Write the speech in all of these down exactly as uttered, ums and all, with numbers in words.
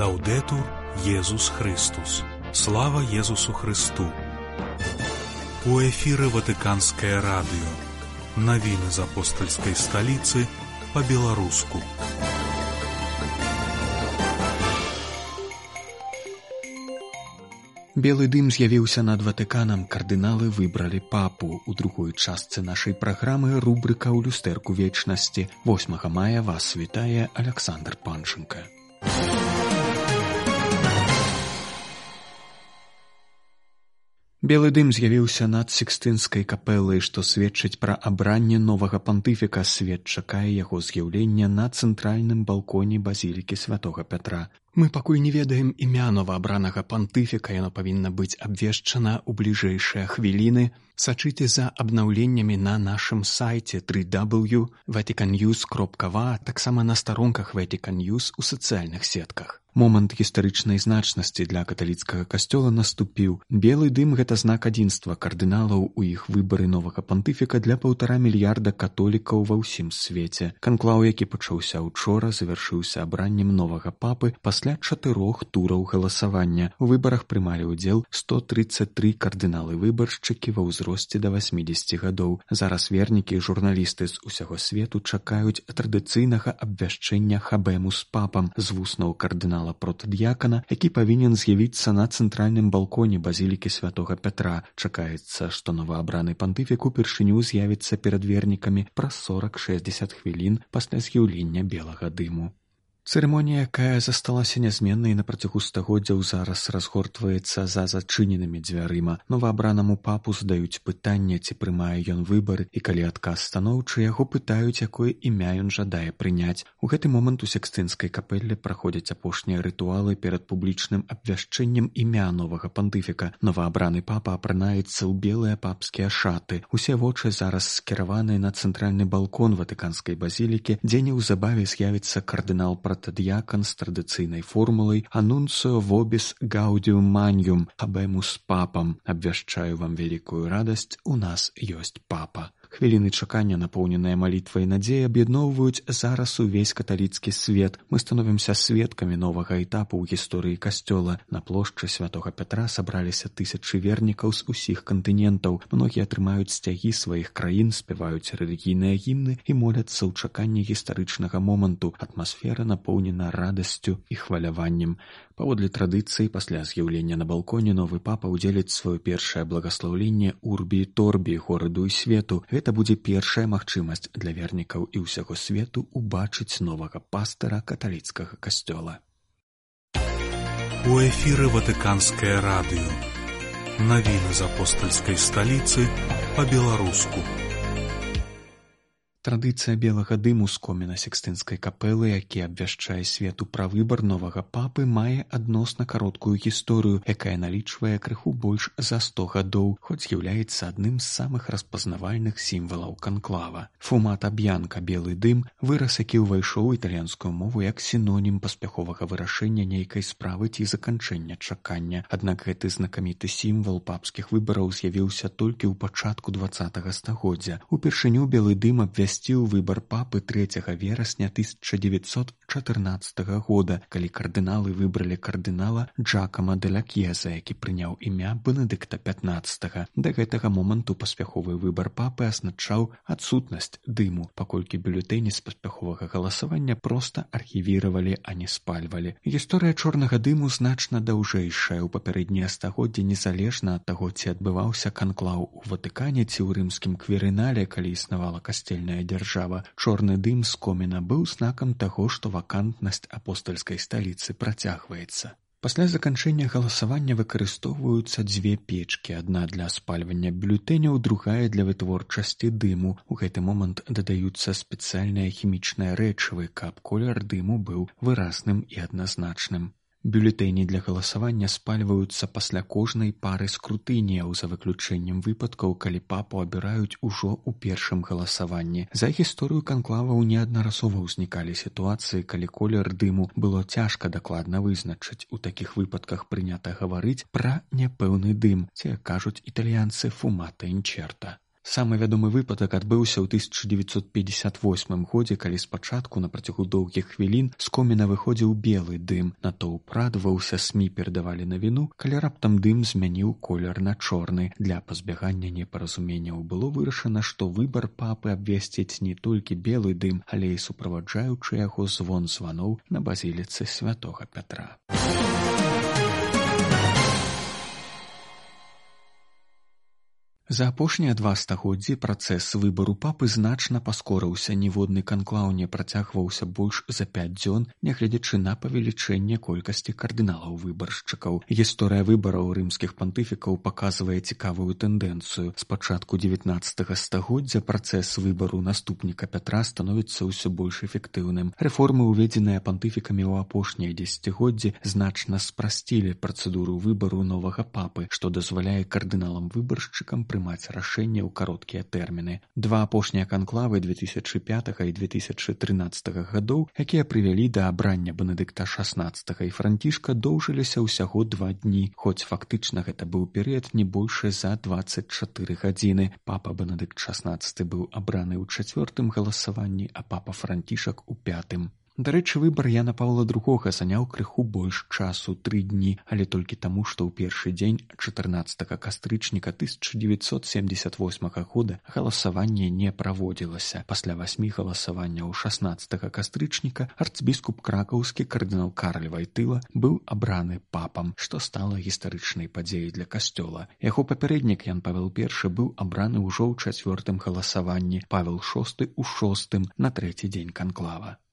Лаўдэтур Езус Христус. Слава Езусу Христу. У эфіры Ватыканскае радыё. Навіны з апостальскай сталіцы па-беларуску. Белы дым з'явіўся над Ватыканам, кардыналы выбралі папу. У другой частцы нашай праграмы рубрыка ў люстэрку вечнасці. восьмага мая вас вітае Аляксандр Панчынка. Белы дым з'явіўся над Сікстынскай капэлай, што сведчыць пра абранне новага пантыфіка. Свет чакае яго з'яўлення на цэнтральным балконе базілікі святога Пятра. Мы пакуль не ведаем імя новаабранага пантыфіка, яно павінна быць абвешчана ў бліжэйшыя хвіліны. Сачыце за абнаўленнямі на нашым сайце дабл ю дабл ю дабл ю крапка ватикан ньюс крапка ва, таксама на старонках Vatican News у сацыяльных сетках. Момант гістарычнай значнасці для каталіцкага касцёла наступіў. Белы дым — гэта знак адзінства кардыналаў у іх выбары новага пантыфіка для паўтара мільярда католікаў ва ўсім свеце. Канклаў, які пачаўся учора, завяршыўся абраннем новага папы пасля чатырох тураў галасавання. У выбарах прымалі ўдзел сто трыццаць тры кардыналы-выбаршчыкі ва ўзросце да васьмідзесяці гадоў. Зараз вернікі і журналісты з усяго свету чакаюць традыцыйнага абвяшчэння хабэму з папам з вуснаў кардынала протадыякана, які павінен з'явіцца на цэнтральным балконе базілікі святога Пятра. Чакаецца, што новаабраны пантыфік упершыню з'явіцца перад вернікамі праз сорак-шэсцьдзесят хвілін пасля з'яўлення белага дыму. Цырымонія, якая засталася нязменнай на працягу стагоддзяў, зараз разгортваецца за зачыненымі дзвярыма. Новаабранаму папу задаюць пытанне, ці прымае ён выбары, і калі адказ станоўчы, яго пытаюць, якое імя ён жадае прыняць. У гэты момант у Сікстынскай капэлле праходзяць апошнія рытуалы перад публічным абвяшчэннем імя новага пантыфіка. Новаабраны папа апранаецца ў белыя папскія шаты. Усе вочы зараз скіраваныя на цэнтральны балкон Ватыканскай базілікі, дзе неўзабаве з'явіцца кардынал протадыякан з традыцыйнай формулай «Анунцио вобіс гаудиум маніум» «Хабемус папам». Абвяшчаю вам вялікую радасць, у нас ёсць папа. Хвіліны чакання, напоўненыя малітвай і надзеяй, аб'ядноўваюць зараз увесь каталіцкі свет. Мы становімся сведкамі новага этапу ў гісторыі касцёла. На плошчы святога Пятра сабраліся тысячы вернікаў з усіх кантынентаў. Многія атрымаюць сцягі сваіх краін, спяваюць рэлігійныя гімны і моляцца ў чаканні гістарычнага моманту. Атмасфера напоўнена радасцю і хваляваннем. Паводле традыцыі, пасля з'яўлення на балконе новы папа ўдзеліць сваё першае благаслаўленне урбі і торбі гораду і свету. Гэта будзе першая магчымасць для вернікаў і ўсяго свету убачыць новага пастыра каталіцкага касцёла. У эфіры Ватыканскае радыё. Навіны з апостальскай сталіцы па-беларуску. Традыцыя белага дыму з коміна Сікстынскай капэлы, які абвяшчае свету пра выбар новага папы, мае адносна кароткую гісторыю, якая налічвае крыху больш за сто гадоў, хоць з'яўляецца адным з самых распазнавальных сімвалаў канклава. Фумата б'янка — белы дым — выраз, які ўвайшоў у італьянскую мову як сінонім паспяховага вырашэння нейкай справы ці заканчэння чакання. Аднак гэты знакаміты сімвал папскіх выбараў з'явіўся толькі ў пачатку дваццатага стагоддзя. Упершыню белы дым абвясціў выбар папы трэцяга верасня тысяча дзевяцьсот чатырнаццатага года, калі кардыналы выбралі кардынала Джакама де ла Кьеза, які прыняў імя Бенедыкта пятнаццатага. Да гэтага моманту паспяховы выбар папы азначаў адсутнасць дыму, паколькі бюлетэні з паспяховага галасавання проста архівіравалі, а не спальвалі. Гісторыя чорнага дыму значна даўжэйшая. У папярэднія стагоддзі, незалежна ад таго, ці адбываўся канклаў у Ватыкане ці ў рымскім кверынале, калі існавала касцельная дзяржава, чорны дым з коміна быў знакам таго, што вакантнасць апостальскай сталіцы працягваецца. Пасля заканчэння галасавання выкарыстоўваюцца дзве печкі, адна для спальвання бюлетэняў, другая для вытворчасці дыму. У гэты момант дадаюцца спецыяльныя хімічныя рэчывы, каб колер дыму быў выразным і адназначным. Бюлетэні для галасавання спальваюцца пасля кожнай пары скрутыніяў, за выключэннем выпадкаў, калі папу абіраюць ужо ў першым галасаванні. За гісторыю канклаваў неаднаразова ўзнікалі сітуацыі, калі колер дыму было цяжка дакладна вызначыць. У такіх выпадках прынята гаварыць пра няпэўны дым, ці, кажуць італьянцы, фумата інчерта. Самы вядомы выпадак адбыўся ў тысяча дзевяцьсот пятьдесят восьмым годзе, калі спачатку на працягу доўгіх хвілін з коміна выходзіў белы дым. Натоўп радаваўся, СМІ перадавалі навіну, калі раптам дым змяніў колер на чорны. Для пазбягання непаразуменняў было вырашана, што выбар папы абвесціць не толькі белы дым, але і суправаджаючы яго звон званоў на базіліцы святога Пятра. За апошнія два стагоддзі працэс выбару папы значна паскорыўся, ніводны канклаў не працягваўся больш за пяць дзён, нягледзячы на павелічэнне колькасці кардыналаў-выбаршчыкаў. Гісторыя выбараў рымскіх пантыфікаў паказвае цікавую тэндэнцыю. З пачатку дзевятнаццатага стагоддзя працэс выбару наступніка Пятра становіцца ўсё больш эфектыўным. Рэформы, уведзеныя пантыфікамі ў апошнія дзесяцігоддзі, значна спрасцілі працэдуру выбару новага папы, што дазваляе кардыналам-выбаршчыкам прымаць рашэнне ў кароткія тэрміны. Два апошнія канклавы две тысячы пятага і две тысячы трынаццатага гадоў, якія прывялі да абрання Бенедыкта шаснаццатага і Францішка, доўжыліся ўсяго два дні, хоць фактычна гэта быў перыяд не больш за дваццаць чатыры гадзіны. Папа Бенедыкт шаснаццаты быў абраны ў чацвёртым галасаванні, а папа Францішак у пятым. Дарэчы, выбар Яна Паўла другога заняў крыху больш часу, тры дні, але толькі таму, што ў першы дзень чатырнаццатага кастрычніка тысяча дзевяцьсот семдзесят восьмага года галасаванне не праводзілася. Пасля васьмі галасаванняў шаснаццатага кастрычніка арцбіскуп кракаўскі кардынал Карль Вайтыла быў абраны папам, што стала гістарычнай падзеяй для касцёла. Яго папярэднік Ян Павел першы быў абраны ўжо ў чацвёртым галасаванні, Павел шосты ў шостым на трэці дзень канклава.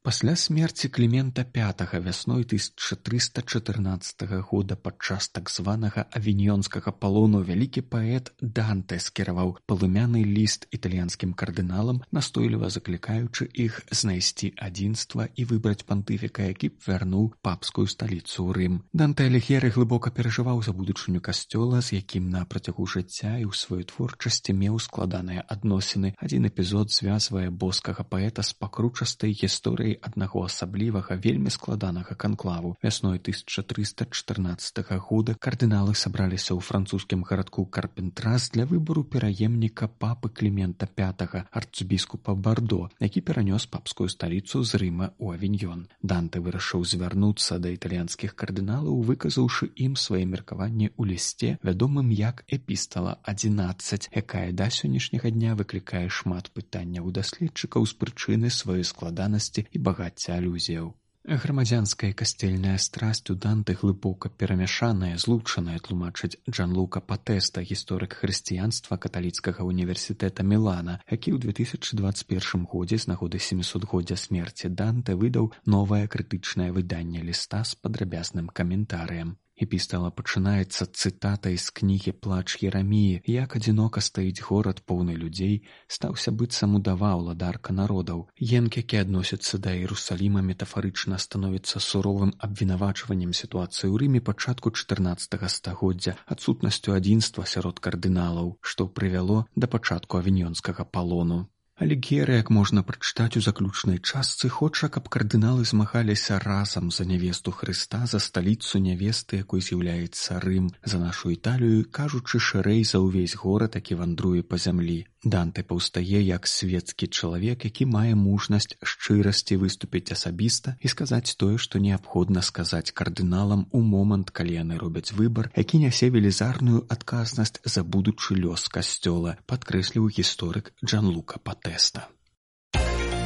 Пасля смерці Клімента пятага вясной тысяча трыста чатырнаццатага года падчас так званага авіньёнскага палону вялікі паэт Данте скіраваў палымяны ліст італьянскім кардыналам, настойліва заклікаючы іх знайсці адзінства і выбраць пантыфіка, які б вярнуў папскую сталіцу ў Рым. Данте Аліг'ері глыбока перажываў за будучыню касцёла, з якім на працягу жыцця і ў сваёй творчасці меў складаныя адносіны. Адзін эпізод звязвае боскага паэта з пакручастай гісторыяй аднаго асаблівага, вельмі складанага канклаву. Вясной тысяча трыста чатырнаццатага года кардыналы сабраліся ў французскім гарадку Карпентрас для выбару пераемніка папы Клімента пятага, арцбіскупа Бардо, які перанёс папскую сталіцу з Рыма ў Авіньён. Данте вырашыў звярнуцца да італьянскіх кардыналаў, выказаўшы ім свае меркаванні ў лісце, вядомым як «Эпістала адзінаццаць», якая да сённяшняга дня выклікае шмат пытанняў у даследчыкаў з прычыны сваёй складанасці і багацця алюзіяў. Грамадзянская і касцельная страсць у Данте глыбока перамяшаная, злучаная, тлумачыць Джанлука Патэста, гісторык хрысціянства каталіцкага універсітэта Мілана, які ў две тысячы дваццаць першым годзе з нагоды сямісотгоддзя смерці Данте выдаў новае крытычнае выданне ліста з падрабязным каментарыем. Эпістала пачынаецца цытатай з кнігі «Плач Ераміі», як адзінока стаіць горад поўны людзей, стаўся быццам удава ўладарка народаў. Енк, які адносіцца да Іерусаліма, метафарычна становіцца суровым абвінавачваннем сітуацыі ў Рыме пачатку чатырнаццатага стагоддзя, адсутнасцю адзінства сярод кардыналаў, што прывяло да пачатку авіньёнскага палону. Аліг'ері, як можна прачытаць у заключнай частцы, хоча, каб кардыналы змагаліся разам за нявесту Хрыста, за сталіцу нявесты, якой з'яўляецца Рым, за нашу Італію, кажучы шырэй за ўвесь горад, які вандруе па зямлі. Данте паўстае як свецкі чалавек, які мае мужнасць шчырасці выступіць асабіста і сказаць тое, што неабходна сказаць кардыналам у момант, калі яны робяць выбар, які нясе велізарную адказнасць за будучы лёс касцёла, падкрэсліў гісторык Джанлука Патэста.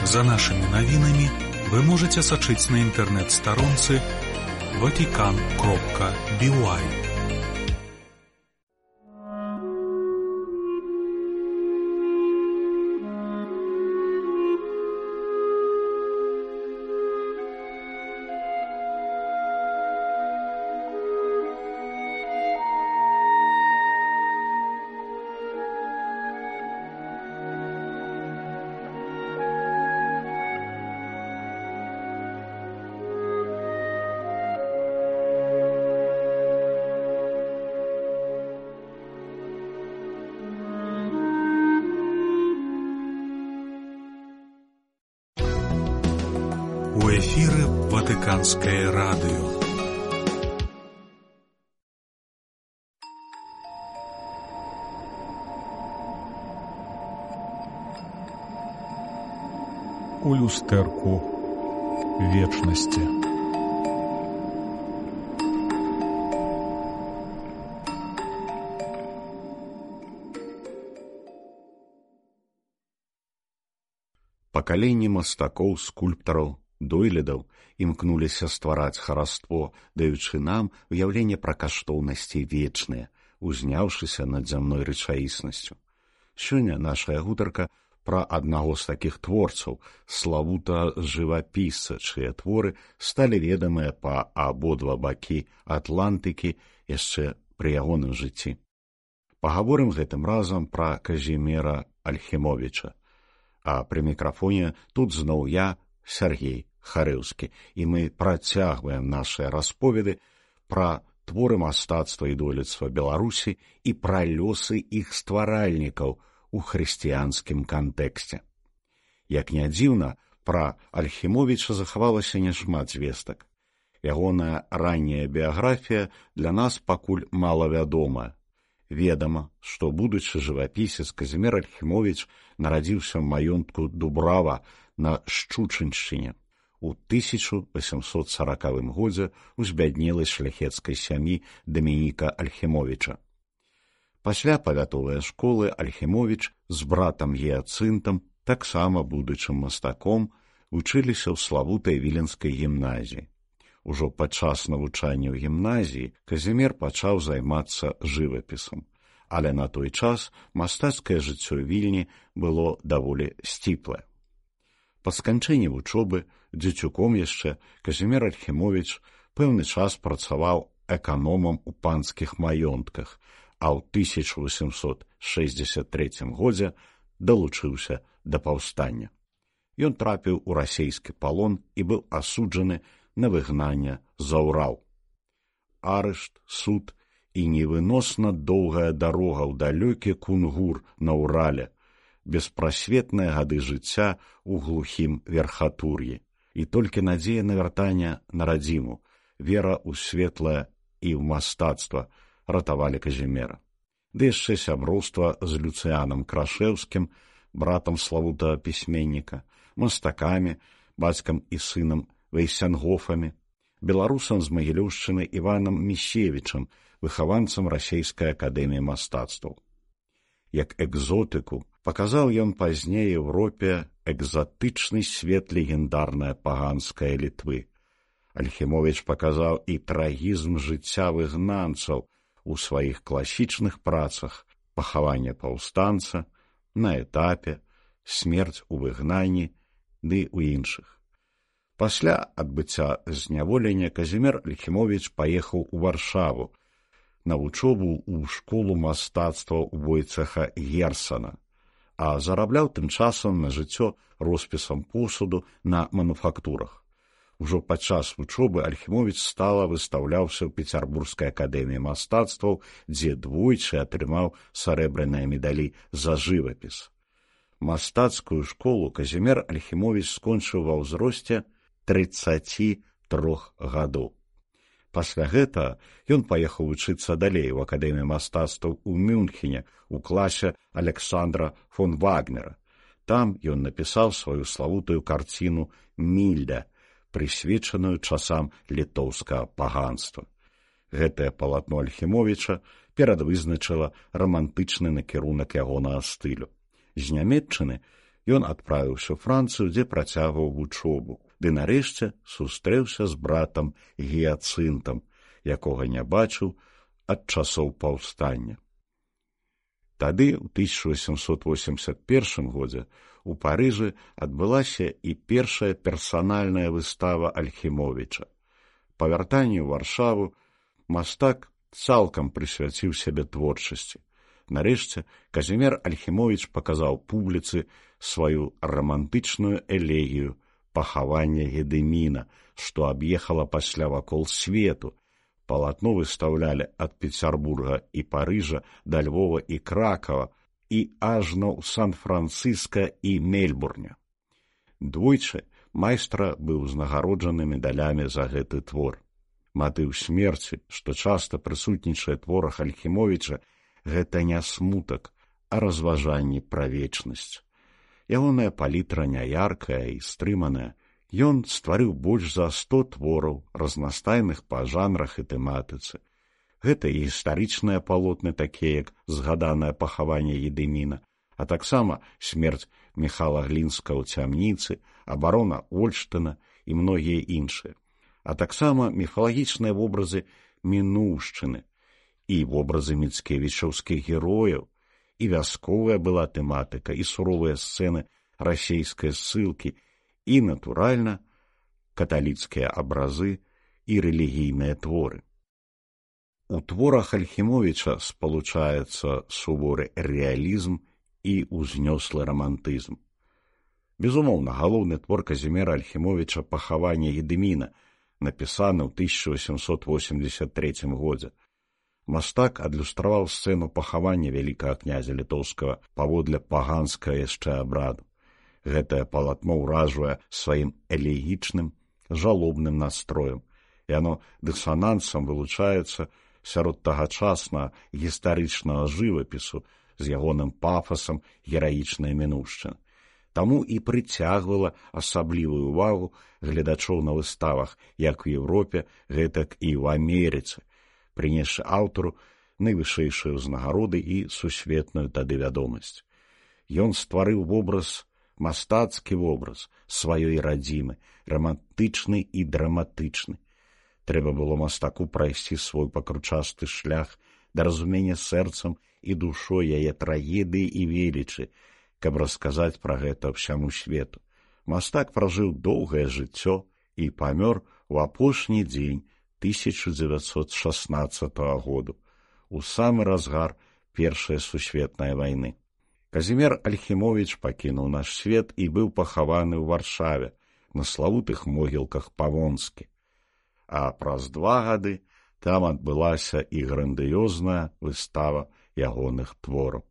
За нашими новинами вы можете сочить на интернет-сторонце ватикан кропка би уай. У эфіры Ватыканскае радыё. у люстэрку вечнасці. Пакаленні мастакоў, скульптараў, дойлідаў імкнуліся ствараць хараство, даючы нам уяўленне пра каштоўнасці вечныя, узняўшыся над зямной рэчаіснасцю. Сёння нашая гутарка пра аднаго з такіх творцаў, славута жывапісца, чые творы сталі ведамыя па абодва бакі Атлантыкі яшчэ пры ягоным жыцці. Пагаворым гэтым разам пра Казіміра Альхімовіча. А пры мікрафоне тут зноў я, Сергей Харэўскі, і мы працягваем нашыя расповеды пра творы мастацтва і дойлідства Беларусі і пра лёсы іх стваральнікаў у хрысціянскім кантэксце. Як не дзіўна, пра Альхімовіча захавалася няшмат звестак. Ягоная ранняя біяграфія для нас пакуль малавядомая. Ведама, што будучы жывапісец Казімір Альхімовіч нарадзіўся ў маёнтку Дубрава на Шчучыншчыне у тысяча восемьсот сорокавым годзе ў збяднелай шляхецкай сям'і Дамініка Альхімовіча. Пасля павятовай школы Альхімовіч з братам Гіяцынтам, таксама будучым мастаком, вучыліся ў славутай віленскай гімназіі. Ужо падчас навучання ў гімназіі Казімір пачаў займацца жывапісам, але на той час мастацкае жыццё Вільні было даволі сціплае. Па сканчэнні вучобы, дзецюком яшчэ, Казімір Альхімовіч пэўны час працаваў эканомам у панскіх маёнтках, а ў тысяча восемьсот шэсцьдзесят трэцім годзе далучыўся да паўстання. Ён трапіў у расейскі палон і быў асуджаны на выгнанне за Урал. Арышт, суд і невыносна доўгая дарога ў далёкі Кунгур на Урале, беспрасветныя гады жыцця ў глухім верхатур'і і толькі надзея на вяртанне на радзіму, вера ў светлае і ў мастацтва ратавалі Казіміра. Ды яшчэ сяброўства з Люцыянам Крашэўскім, братам славутага пісьменніка, мастакамі, бацькам і сынам Вейсянгофамі, беларусам з Магілёўшчыны Іванам Міщевічам, выхаванцам расейскай акадэміі мастацтваў. Як экзотыку паказаў ён пазней Еўропе экзатычны свет легендарнай паганскай Літвы. Альхімовіч паказаў і трагізм жыцця выгнанцаў у сваіх класічных працах «Пахаванне паўстанца», «На этапе», «Смерць у выгнанні» ды ў іншых. Пасля адбыцця зняволення Казімір Альхімовіч паехаў у Варшаву на вучобу ў школу мастацтва ў Войцеха Герсана, а зарабляў тым часам на жыццё роспісам посуду на мануфактурах. Ужо падчас вучобы Альхімовіч стала выстаўляўся ў Пецярбургскай акадэміі мастацтваў, дзе двойчы атрымаў сарэбраныя медалі за жывапіс. Мастацкую школу Казімір Альхімовіч скончыў ва ўзросце трыццаці трох гадоў. Пасля гэтага ён паехаў вучыцца далей у акадэміі мастацтваў у Мюнхене у класе Александра фон Вагнера. Там ён напісаў сваю славутую карціну «Мільда», прысвечаную часам літоўскага паганства. Гэтае палатно Альхімовіча перадвызначыла рамантычны накірунак ягонага стылю. З Нямецчыны ён адправіўся ў Францыю, дзе працягваў вучобу, ды нарэшце сустрэўся з братам Гіяцынтам, якога не бачыў ад часоў паўстання. Тады, у тысяча восемьсот восемьдесят першым годзе, у Парыжы адбылася і першая персанальная выстава Альхімовіча. Па вяртанні ў Варшаву мастак цалкам прысвяціў сябе творчасці. Нарэшце, Казімір Альхімовіч паказаў публіцы сваю рамантычную элегію «Пахаванне Гедыміна», што аб'ехала пасля вакол свету. Палатно выстаўлялі ад Пецярбурга і Парыжа да Львова і Кракава і ажно ў Сан-Францыска і Мельбурне. Двойчы майстра быў узнагароджаны медалямі за гэты твор. Матыў смерці, што часта прысутнічае творах Альхімовіча, гэта не смутак, а разважанні пра вечнасць. Ягоная палітра няяркая і стрыманая. Ён стварыў больш за сто твораў, разнастайных па жанрах і тэматыцы. Гэта і гістарычныя палотны, такія як згаданае пахаванне Едыміна, а таксама смерць Міхала Глінска ў цямніцы, абарона Ольштына і многія іншыя, а таксама міфалагічныя вобразы мінуўшчыны і вобразы міцкевічаўскіх герояў, і вясковая была тэматыка, і суровыя сцэны расейскай ссылкі, і, натуральна, каталіцкія абразы і рэлігійныя творы. У творах Альхімовіча спалучаецца суворы рэалізм і ўзнёслы рамантызм. Безумоўна, галоўны твор Казіміра Альхімовіча «Пахаванне Едыміна», напісаны ў тысяча восемьсот восемьдесят третьем годзе. Мастак адлюстраваў сцэну пахавання вялікага князя літоўскага паводле паганскага яшчэ абраду. Гэтае палатно ўражвае сваім элегічным, жалобным настроем, і яно дысанансам вылучаецца сярод тагачаснага гістарычнага жывапісу з ягоным пафасам гераічнай мінуўшчыны. Таму і прыцягвала асаблівую ўвагу гледачоў на выставах як у Еўропе, гэтак і ў Амерыцы, прынесшы аўтару найвышэйшыя ўзнагароды і сусветную тады вядомасць. Ён стварыў вобраз, мастацкі вобраз сваёй радзімы, рамантычны і драматычны. Трэба было мастаку прайсці свой пакручасты шлях да разумення сэрцам і душой яе трагедыі і велічы, каб расказаць пра гэта ўсяму свету. Мастак пражыў доўгае жыццё і памёр у апошні дзень тысяча дзевяцьсот шаснаццатага году, у самы разгар Першай сусветнай вайны. Казімір Альхімовіч пакінуў наш свет і быў пахаваны ў Варшаве на славутых могілках Павонскі. А праз два гады там адбылася і грандыёзная выстава ягоных твораў.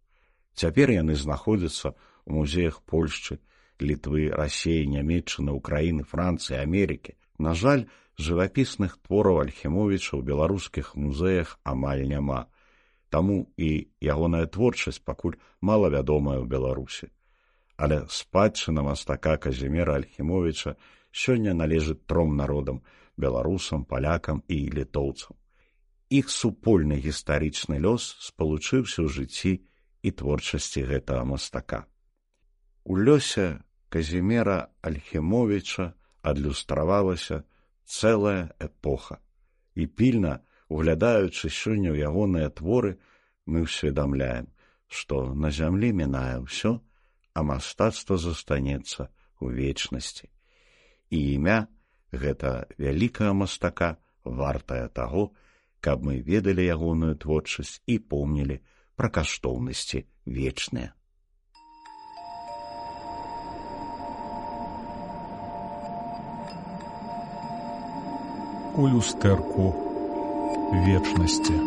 Цяпер яны знаходзяцца ў музеях Польшчы, Літвы, Расеі, Нямецчыны, Украіны, Францыі, Амерыкі. На жаль, жывапісных твораў Альхімовіча ў беларускіх музеях амаль няма. Таму і ягоная творчасць пакуль малавядомая ў Беларусі. Але спадчына мастака Казіміра Альхімовіча сёння належыць тром народам – беларусам, палякам і літоўцам. Іх супольны гістарычны лёс спалучыўся ў жыцці і творчасці гэтага мастака. У лёсе Казіміра Альхімовіча адлюстравалася цэлая эпоха. І пільна, углядаючы сёння ў ягоныя творы, мы ўсведамляем, што на зямлі мінае ўсё, а мастацтва застанецца ў вечнасці. І імя гэта вялікага мастака вартае таго, каб мы ведалі ягоную творчасць і помнілі пра каштоўнасці вечныя. У люстэрку вечнасці.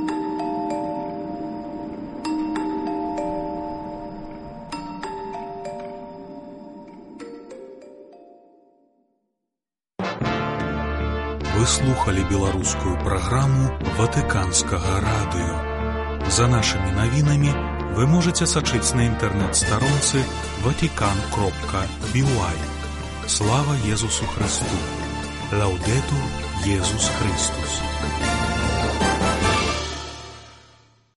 Вы слухали беларускую праграму Ватыканскага радыё. За нашымі навінамі вы можаце сачыць на інтэрнэт-старонцы ватикан кропка би уай. Слава Езусу Христу! Лаудетур Езус Христус!